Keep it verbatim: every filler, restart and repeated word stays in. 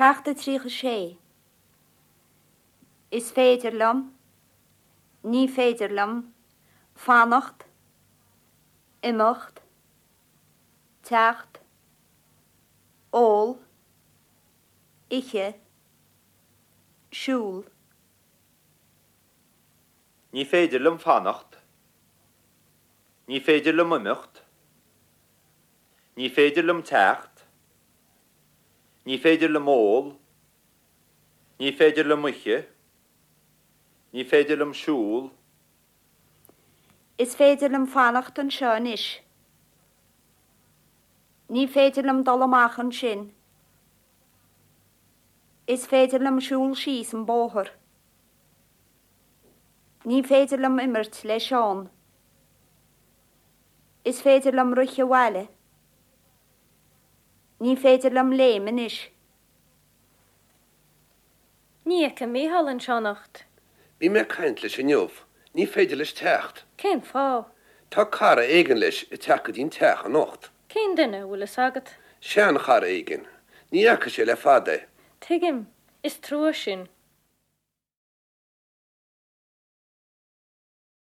Ceacht a tríocha sé. Is féidir liom, ní féidir liom, fanacht, imeacht, teacht, ól, ithe, siúl. Ní féidir liom fanacht. Ní féidir liom imeacht. Ní féidir liom teacht. Ní féidir liom ól. Ní féidir liom ithe. Ní féidir liom siúl. Is féidir liom fanacht anseo anois. Ní féidir liom dul amach ansin. Is féidir liom siúl síos an bóthar. Ní féidir liom imirt le Seán. Is féidir liom rith abhaile. Ní féidir liom léim anois. Ní fheicim Mícheál anseo anocht. Bhí mé ag caint leis inniu, ní féidir leis teacht. Cén fáth? Tá cara éigin leis ag teacht go dtí an teach anocht. Cén duine bhfuil fhios agat? Seanchara éigin, ní fhaca sé le fada. Tuigim, is trua sin.